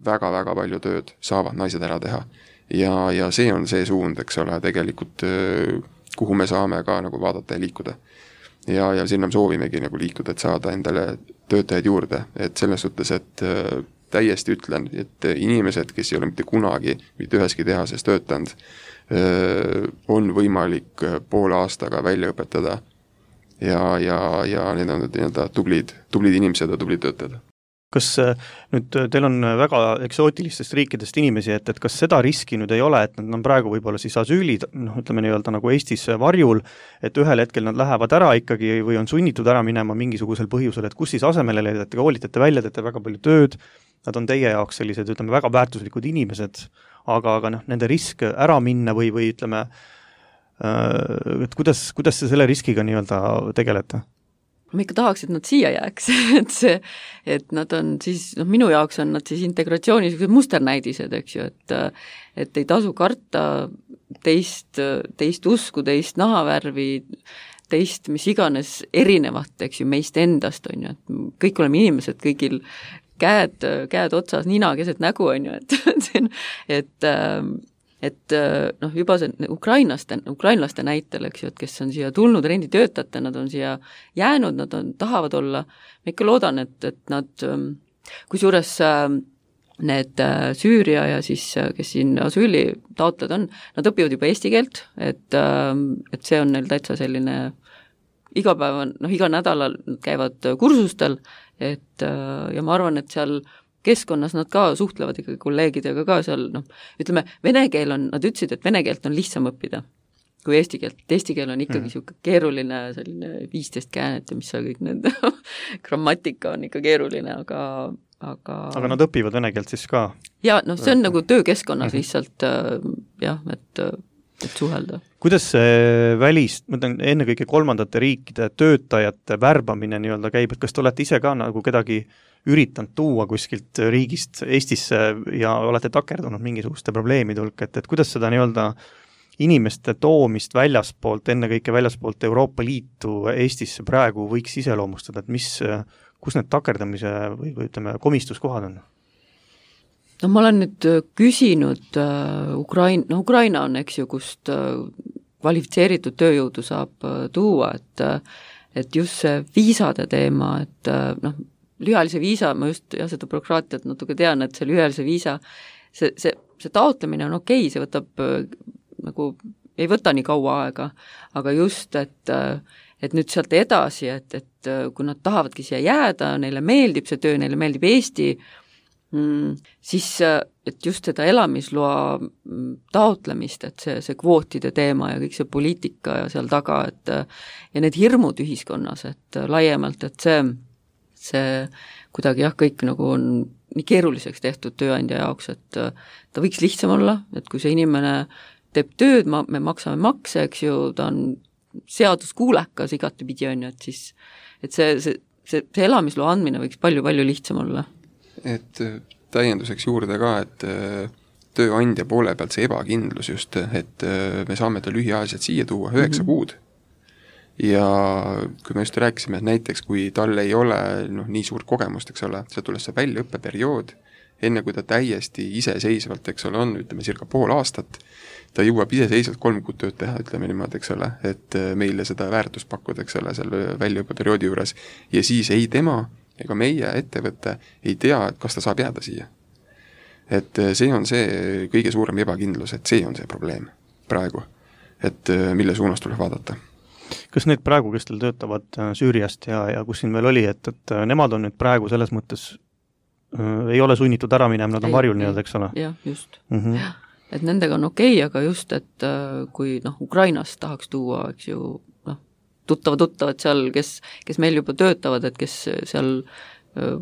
väga-väga palju tööd saavad naised ära teha. Ja, ja see on see suund, eks ole, tegelikult kuhu me saame ka nagu vaadata ja liikuda. Ja, ja sinna me soovimegi nagu liikuda, et saada endale töötajaid juurde, et selles suhtes, et täiesti ütlen, et inimesed, kes ei ole mitte kunagi mitte üheski tehases töötanud, on võimalik poole aastaga välja õpetada ja, ja, ja need on nii-öelda tublid, tublid inimesed ja tublid töötajad. Kas nüüd teil on väga eksootilistest riikidest inimesi, et, et kas seda riski nüüd ei ole, et nad on praegu võib-olla siis asüüli, noh, ütleme nii-öelda nagu Eestis varjul, et ühel hetkel nad lähevad ära ikkagi või on sunnitud ära minema mingisugusel põhjusel, et kus siis asemele leidate, koolitate välja, teete väga palju tööd, nad on teie jaoks sellised, ütleme, väga väärtuslikud inimesed, aga, aga noh, nende risk ära minna või, või ütleme, et kuidas, kuidas te selle riskiga nii-öelda tegelete? Ma ikka tahaks, et nad siia jääks, et see, et nad on siis, noh, minu jaoks on nad siis integratsioonis musternäidised, eks ju, et et ei tasu karta teist, teist usku, teist nahavärvi, teist mis iganes erinevat, eks ju, meist endast, on ju, et kõik oleme inimesed, kõigil käed, käed otsas, nina keset nägu, on ju, et et et noh, juba see ukrainlaste, ukrainlaste näitel, eks ju, et kes on siia tulnud renditöötajate, nad on siia jäänud, nad on, tahavad olla, ma ikka loodan, et, et nad, kusjuures need Süüria ja siis, kes siin asüüli taotled on, nad õpivad juba eesti keelt, et, et see on neil täitsa selline iga päev on, noh, iga nädalal nad käivad kursustel, et ja ma arvan, et seal keskkonnas nad ka suhtlevad ikkagi kolleegidega ka seal, noh, ütleme, vene keel on, nad ütlesid, et vene keelt on lihtsam õppida kui eesti keelt. Eesti keel on ikkagi mm. siuke keeruline, selline viisteist käänet ja mis seal kõik need grammatika on ikka keeruline, aga aga aga nad õpivad vene keelt siis ka? Ja, noh, see on nagu töökeskkonnas mm-hmm. lihtsalt jah, et, et suhelda. Kuidas see välis, ma ütlen, ennekõike kolmandate riikide töötajate värbamine nii-öelda käib, et kas te olete ise ka nagu kedagi üritanud tuua kuskilt riigist Eestisse ja olete takerdunud mingisuguste probleemide hulk, et, et kuidas seda nii-öelda inimeste toomist väljaspoolt, ennekõike väljaspoolt Euroopa Liitu Eestisse praegu võiks iseloomustada, et mis, kus need takerdamise või, või ütleme, komistuskohad on? No ma olen nüüd küsinud uh, Ukraina, no Ukraina on, eks ju, kust uh, kvalifitseeritud tööjõudu saab uh, tuua, et, uh, et just see viisade teema, et uh, noh, lühiajalise viisa, ma just jah, seda bürokraatiat natuke tean, et see lühiajalise viisa, see, see, see taotlemine on okei okay,, see võtab äh, nagu, ei võta nii kaua aega, aga just, et, äh, et nüüd sealt edasi, et, et äh, kui nad tahavadki siia jääda, neile meeldib see töö, neile meeldib Eesti, mm, siis et just seda elamisloa taotlemist, et see, see kvootide teema ja kõik see poliitika ja seal taga, et ja need hirmud ühiskonnas, et laiemalt, et see see kuidagi jah, kõik nagu on nii keeruliseks tehtud tööandja jaoks, et ta võiks lihtsam olla, et kui see inimene teeb tööd, ma, me maksame makse, eks ju, ta on seaduskuulekas igatepidi, on ju, et siis et see, see, see, see elamisloa andmine võiks palju-palju lihtsam olla. Et täienduseks juurde ka, et tööandja poole pealt see ebakindlus just, et me saame ta lühiajaliselt siia tuua üheksa mm-hmm. kuud. Ja kui me just rääkisime, et näiteks kui tal ei ole noh, nii suurt kogemust, eks ole, see tuleb see väljaõppeperiood, enne kui ta täiesti iseseisvalt, eks ole, on, ütleme, circa pool aastat, ta jõuab iseseisvalt kolm kuud tööd teha, ütleme niimoodi, eks ole, et meile seda väärtust pakkuda, eks ole, seal väljaõppeperioodi juures, ja siis ei tema ega meie ettevõte ei tea, et kas ta saab jääda siia. Et see on see kõige suurem ebakindlus, et see on see probleem praegu, et mille suunas tuleb vaadata. Kas need praegu, kes teil töötavad Süüriast ja, ja kus siin veel oli, et, et nemad on nüüd praegu selles mõttes äh, ei ole sunnitud ära minema, nad on ei, varjul nii-öelda, eks ole? Jah, just. Mm-hmm. Ja, et nendega on okei okay,, aga just, et äh, kui noh, Ukrainast tahaks tuua, eks ju, noh, tuttava-tuttavad seal, kes, kes meil juba töötavad, et kes seal äh,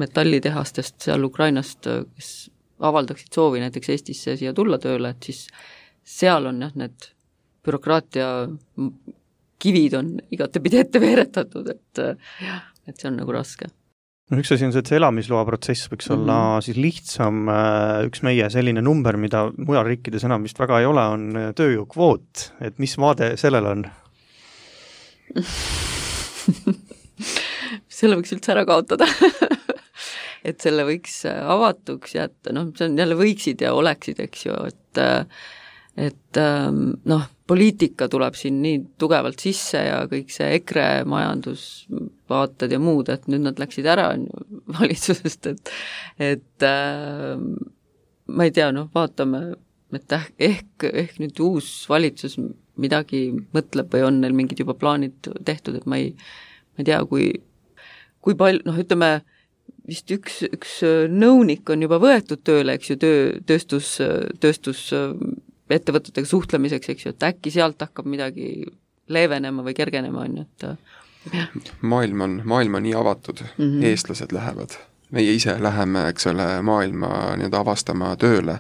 metallitehastest seal Ukrainast, kes avaldaksid soovi näiteks Eestisse siia tulla tööle, et siis seal on jah, need bürokraatia kivid on igatepidi ette veeretatud, et, et see on nagu raske. No üks asi on see, et see elamisloa protsess võiks mm-hmm. olla siis lihtsam, üks meie selline number, mida mujal riikides enam vist väga ei ole, on tööjõukvoot, et mis vaade sellel on? selle võiks üldse ära kaotada. et selle võiks avatuks jätta, noh, see on jälle võiksid ja oleksid, eks ju, et et noh, poliitika tuleb siin nii tugevalt sisse ja kõik see EKRE majandusvaated ja muud, et nüüd nad läksid ära valitsusest, et et äh, ma ei tea, noh, vaatame, et ehk, ehk nüüd uus valitsus midagi mõtleb või on neil mingid juba plaanid tehtud, et ma ei, ma ei tea, kui, kui palju, noh, ütleme, vist üks, üks nõunik on juba võetud tööle, eks ju, töö, tööstus, tööstus ettevõtetega suhtlemiseks, eks ju, et äkki sealt hakkab midagi leevenema või kergenema, on ju, et jah. Maailm on, maailm on nii avatud, mm-hmm. eestlased lähevad, meie ise läheme, eks ole, maailma nii-öelda avastama tööle,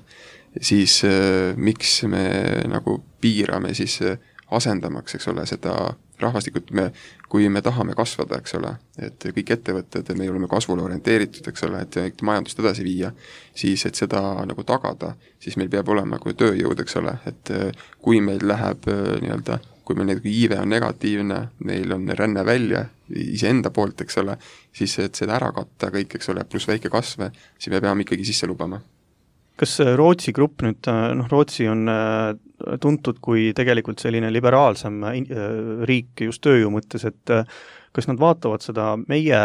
siis äh, miks me nagu piirame siis äh, asendamaks, eks ole, seda rahvastikut, me, kui me tahame kasvada, eks ole, et kõik ettevõtted, me oleme kasvule orienteeritud, eks ole, et majandust edasi viia, siis et seda nagu tagada, siis meil peab olema kui tööjõud, eks ole, et kui meil läheb nii-öelda, kui meil need iive on negatiivne, meil on ränne välja iseenda poolt, eks ole, siis et seda ära katta kõik, eks ole, pluss väike kasve, siis me peame ikkagi sisse lubama. Kas Rootsi grupp nüüd, noh, Rootsi on tuntud kui tegelikult selline liberaalsem riik just tööjõu mõttes, et kas nad vaatavad seda meie,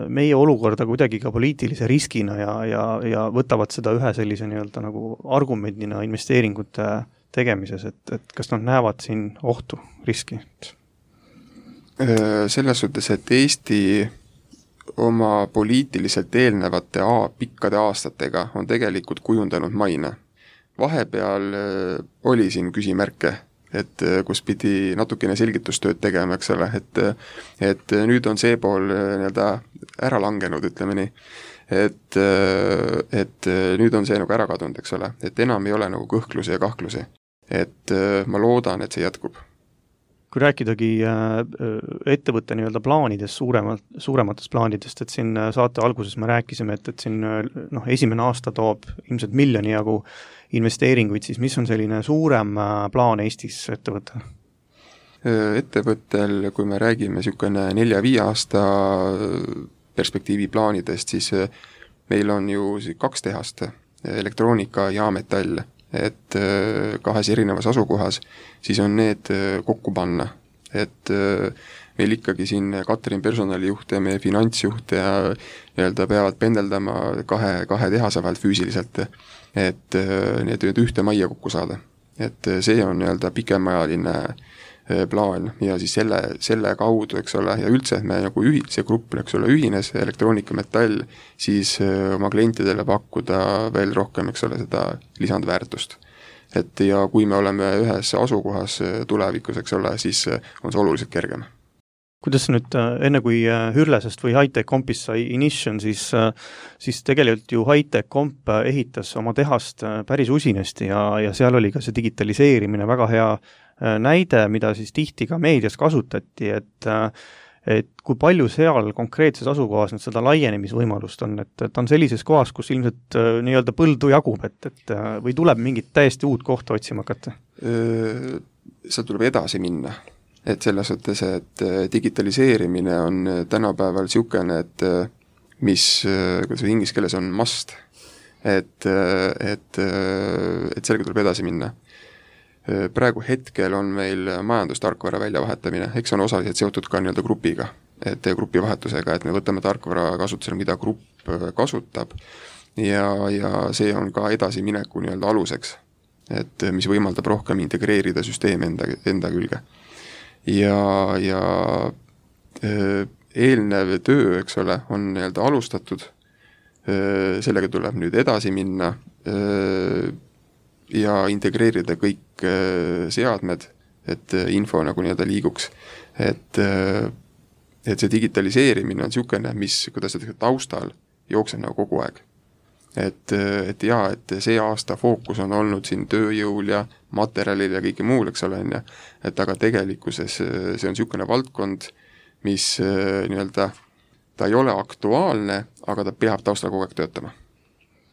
meie olukorda kuidagi ka poliitilise riskina ja, ja, ja võtavad seda ühe sellise nii-öelda nagu argumendina investeeringute tegemises, et, et kas nad näevad siin ohtu, riski? Selles suhtes, et Eesti oma poliitiliselt eelnevate a, pikkade aastatega on tegelikult kujundanud maine. Vahepeal oli siin küsimärke, et kus pidi natukene selgitustööd tegema, eks ole, et, et nüüd on see pool nii-öelda ära langenud, ütleme nii, et, et nüüd on see nagu ära kadunud, eks ole, et enam ei ole nagu kõhklusi ja kahklusi, et ma loodan, et see jätkub. Kui rääkidagi ettevõtte nii-öelda plaanidest, suuremalt, suurematest plaanidest, et siin saate alguses me rääkisime, et, et siin noh, esimene aasta toob ilmselt miljoni jagu investeeringuid, siis mis on selline suurem plaan Eestis ettevõttel? Ettevõttel, kui me räägime niisugune nelja-viie aasta perspektiivi plaanidest, siis meil on ju kaks tehast, elektroonika ja metall, et kahes erinevas asukohas, siis on need kokku panna, et meil ikkagi siin Katrin personalijuht ja meie finantsjuht ja nii-öelda peavad pendeldama kahe, kahe tehase vahelt füüsiliselt, et need ühte majja kokku saada. Et see on nii-öelda pikemaajaline plaan ja siis selle, selle kaudu, eks ole, ja üldse, et me nagu ühi, see grupp, eks ole, ühines, elektroonika, metall, siis oma klientidele pakkuda veel rohkem, eks ole, seda lisandväärtust. Et ja kui me oleme ühes asukohas tulevikus, eks ole, siis on see oluliselt kergem. Kuidas nüüd, enne kui Hürlesest või Hightech Compist sai Inition, siis, siis tegelikult ju Hightech Comp ehitas oma tehast päris usinesti ja, ja seal oli ka see digitaliseerimine väga hea näide, mida siis tihti ka meedias kasutati, et, et kui palju seal konkreetses asukohas nüüd seda laienemisvõimalust on, et ta on sellises kohas, kus ilmselt nii-öelda põldu jagub, et, et või tuleb mingit täiesti uut kohta otsima hakata? Seal tuleb edasi minna. Et selles suhtes, et digitaliseerimine on tänapäeval niisugune, et mis, kuidas inglise keeles on must, et, et, et sellega tuleb edasi minna. Praegu hetkel on meil majandustarkvara väljavahetamine, eks on osaliselt seotud ka nii-öelda grupiga, et grupivahetusega, et me võtame tarkvara kasutusele, mida grupp kasutab ja, ja see on ka edasimineku nii-öelda aluseks, et mis võimaldab rohkem integreerida süsteemi enda, enda külge. ja, ja eelnev töö, eks ole, on nii-öelda alustatud, sellega tuleb nüüd edasi minna ja integreerida kõik seadmed, et info nagu nii-öelda liiguks. Et, et see digitaliseerimine on niisugune, mis, kuidas see taustal jookseb nagu kogu aeg. Et, et jaa, et see aasta fookus on olnud siin tööjõul ja materjalil ja kõike muul, eks ole, et aga tegelikkuses see on niisugune valdkond, mis nii-öelda, ta ei ole aktuaalne, aga ta peab taustal kogu aeg töötama.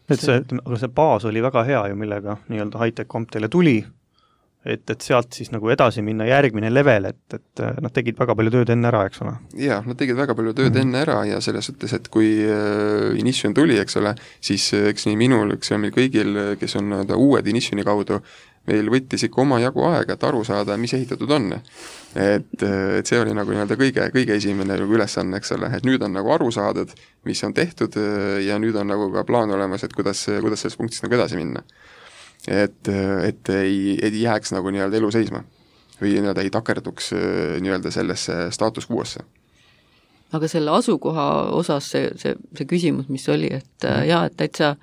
Et see, aga see baas oli väga hea ju, millega nii-öelda Hightech Comp teile tuli, et, et sealt siis nagu edasi minna järgmine level, et, et nad tegid väga palju tööd enne ära, eks ole? Jaa, nad tegid väga palju tööd mm-hmm. enne ära ja selles suhtes, et kui Inition tuli, eks ole, siis eks nii minul, eks ja meil kõigil, kes on uued Initioni kaudu, meil võttis ikka oma jagu aega, et aru saada, mis ehitatud on. Et, et see oli nagu nii-öelda kõige, kõige esimene ülesanne, eks ole, et nüüd on nagu aru saadud, mis on tehtud ja nüüd on nagu ka plaan olemas, et kuidas, kuidas selles punktis nagu edasi minna. Et, et ei, ei jääks nagu nii-öelda elu seisma või nii-öelda ei takerduks nii-öelda sellesse staatus quo'sse. Aga selle asukoha osas see, see, see küsimus, mis oli, et mm. jah, et täitsa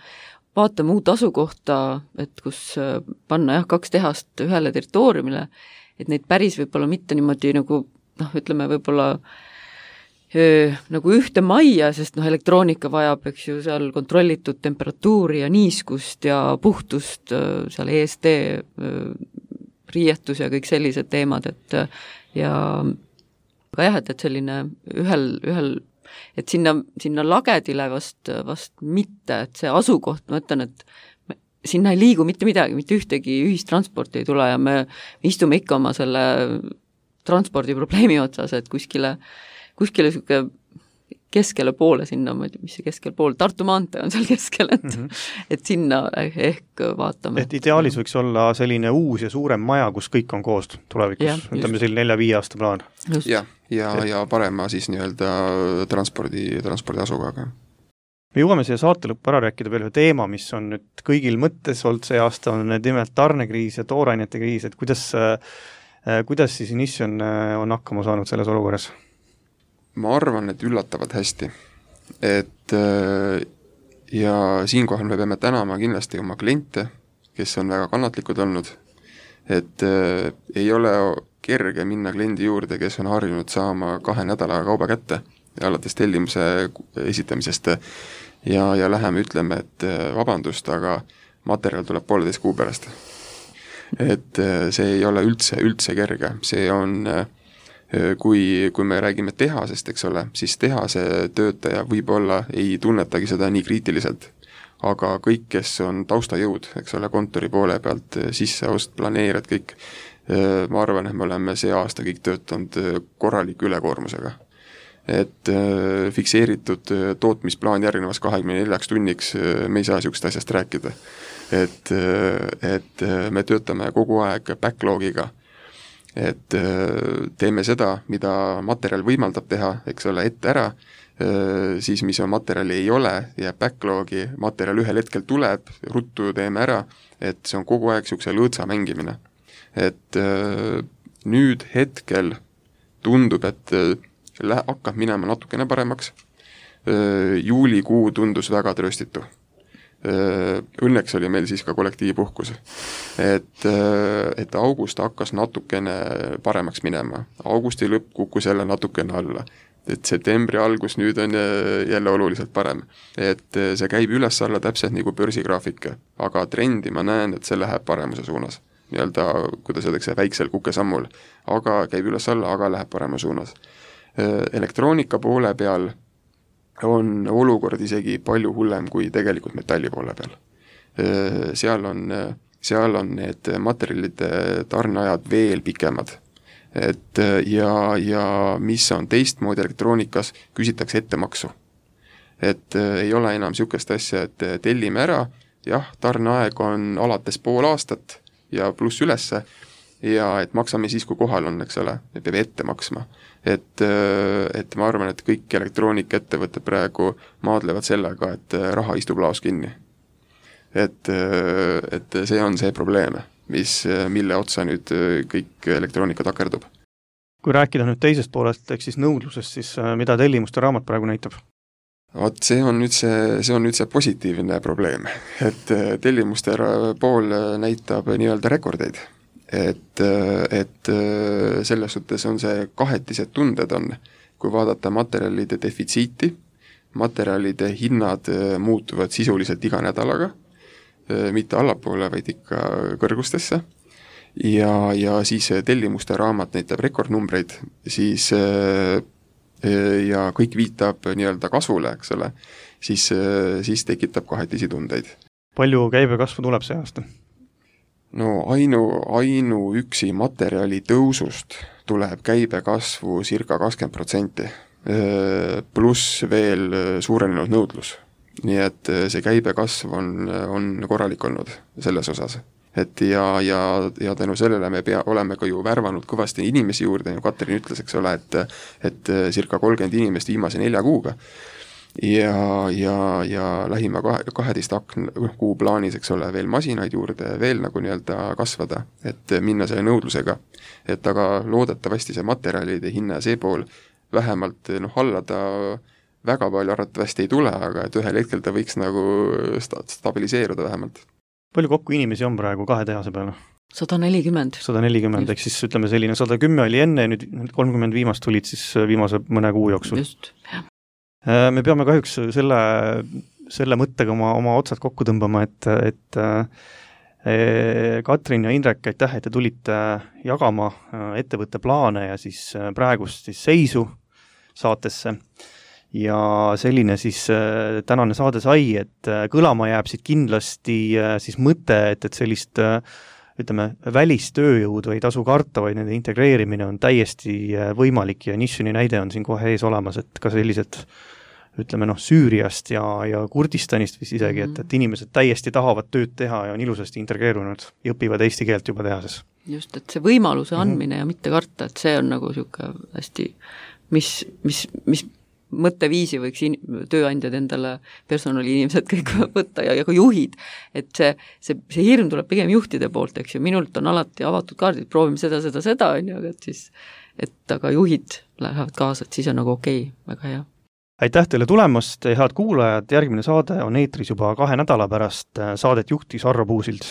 vaatame uut asukohta, et kus panna jah, kaks tehast ühele territooriumile, et neid päris võib-olla mitte niimoodi nagu, noh, ütleme võib-olla öö, nagu ühte majja, sest noh, elektroonika vajab, eks ju, seal kontrollitud temperatuuri ja niiskust ja puhtust, seal E S D riietus ja kõik sellised teemad, et ja aga jah, et, et selline ühel, ühel et sinna, sinna lagedile vast, vast mitte, et see asukoht, ma ütlen, et me, sinna ei liigu mitte midagi, mitte ühtegi ühistransporti ei tule ja me istume ikka oma selle transpordiprobleemi otsas, et kuskile, kuskile siuke keskele poole sinna, ma ei tea, mis see keskel pool, Tartu maantee on seal keskel, et, mm-hmm. et sinna ehk vaatame. Et ideaalis võiks olla selline uus ja suurem maja, kus kõik on koos tulevikus, ütleme selline nelja-viie aasta plaan. Ja, ja, ja parema siis nii-öelda transpordi, transpordi asukohaga. Me jõuame siia saate lõppu ära rääkida veel ühe teema, mis on nüüd kõigil mõttes olnud see aasta, on nimelt tarnekriis ja toorainete kriis, et kuidas, kuidas siis Inition on hakkama saanud selles olukorras? Ma arvan, et üllatavad hästi. Et ja siinkohal me peame tänama kindlasti oma kliente, kes on väga kannatlikud olnud. Et ei ole kerge minna kliendi juurde, kes on harjunud saama kahe nädalaga kauba kätte ja alates tellimuse esitamisest ja, ja läheme ütleme, et vabandust, aga materjal tuleb pooleteist kuu pärast. Et see ei ole üldse, üldse kerge. See on Kui, kui me räägime tehasest, eks ole, siis tehase töötaja võib-olla ei tunnetagi seda nii kriitiliselt. Aga kõik, kes on taustajõud, eks ole, kontori poole pealt, sisseost, planeerijad, kõik, ma arvan, et me oleme see aasta kõik töötanud korraliku ülekoormusega. Et fikseeritud tootmisplaan järgnevas kahekümne neljaks tunniks me ei saa niisugust asjast rääkida. Et, et me töötame kogu aeg backlogiga, et teeme seda, mida materjal võimaldab teha, eks ole, ette ära, siis mis on materjali ei ole ja backlogi materjal ühel hetkel tuleb, ruttu teeme ära, et see on kogu aeg niisuguse lõõtsa mängimine. Et nüüd hetkel tundub, et hakkab minema natukene paremaks, juulikuu tundus väga trööstitu. Õnneks oli meil siis ka kollektiivpuhkus, et, et august hakkas natukene paremaks minema, augusti lõpp kukkus jälle natukene alla, et septembri algus nüüd on jälle oluliselt parem, et see käib üles alla täpselt nagu börsigraafik, aga trendi ma näen, et see läheb paremuse suunas, nii-öelda, kuidas öeldakse, väiksel kukesammul, aga käib üles alla, aga läheb parema suunas. Elektroonika poole peal on olukord isegi palju hullem kui tegelikult metalli poole peal. Seal on, seal on need materjalide tarneajad veel pikemad. Et ja, ja mis on teistmoodi elektroonikas, küsitakse ettemaksu. Et ei ole enam niisugust asja, et tellime ära, jah, tarneaeg on alates pool aastat ja pluss ülesse, ja et maksame siis, kui kohal on, eks ole, me peame ette maksma. Et, et ma arvan, et kõik elektroonikaettevõtted praegu maadlevad sellega, et raha istub laos kinni. Et, et see on see probleem, mis, mille otsa nüüd kõik elektroonika takerdub. kui rääkida nüüd teisest poolest, ehk siis nõudlusest, siis mida tellimuste raamat praegu näitab? Vot see on nüüd see, see on nüüd see positiivne probleem, et tellimuste pool näitab nii-öelda rekordeid. Et, et selles suhtes on see kahetised tunded on, kui vaadata materjalide defitsiiti, materjalide hinnad muutuvad sisuliselt iga nädalaga, mitte allapoole, vaid ikka kõrgustesse, ja, ja siis tellimuste raamat näitab rekordnumbreid, siis ja kõik viitab nii-öelda kasvule, eks ole, siis, siis tekitab kahetisi tundeid. Palju käibekasvu tuleb see aasta? No ainu, ainu üksi materjali tõusust tuleb käibekasvu circa kakskümmend protsenti, pluss veel suurenenud nõudlus. Nii et see käibekasv on, on korralik olnud selles osas. Et ja, ja, ja tänu sellele me pea, oleme ka ju värvanud kõvasti inimesi juurde, ja Katrin ütles, eks ole, et, et circa kolmkümmend inimest viimase nelja kuuga. Ja, ja, ja lähima kaheteist kuu plaanis, eks ole, veel masinaid juurde, veel nagu nii-öelda kasvada, et minna selle nõudlusega. Et aga loodetavasti see materjalide hinna see pool vähemalt noh, hallada väga palju arvatavasti ei tule, aga et ühel hetkel ta võiks nagu sta- stabiliseeruda vähemalt. Palju kokku inimesi on praegu kahe tehase peale? sada nelikümmend. sada nelikümmend, ehk siis ütleme selline sada kümme oli enne, nüüd kolmkümmend viimast tulid siis viimase mõne kuu jooksul. Just, jah. Me peame kahjuks selle, selle mõttega oma, oma otsad kokku tõmbama, et, et Katrin ja Indrek, aitäh, et te tulite jagama ettevõtte plaane ja siis praegust siis seisu saatesse. Ja selline siis tänane saade sai, et kõlama jääb siit kindlasti siis mõte, et, et sellist ütleme, välistööjõudu ei tasu karta, vaid nende integreerimine on täiesti võimalik ja Nissuni näide on siin kohe ees olemas, et ka sellised ütleme noh, Süüriast ja, ja Kurdistanist vist isegi, et, et inimesed täiesti tahavad tööd teha ja on ilusasti integreerunud ja õpivad eesti keelt juba tehases. Just, et see võimaluse andmine mm-hmm. ja mitte karta, et see on nagu siuke hästi, mis, mis, mis mõtteviisi võiks in, tööandjad endale, personaliinimesed kõik võtta ja, ja ka juhid, et see, see, see hirm tuleb pigem juhtide poolt, eks ju, minult on alati avatud kaardid, proovime seda, seda, seda, on ju, aga et siis, et aga juhid lähevad kaasa, et siis on nagu okei, väga hea. Aitäh teile tulemast, head kuulajad, järgmine saade on eetris juba kahe nädala pärast, saadet juhtis Harro Puusild.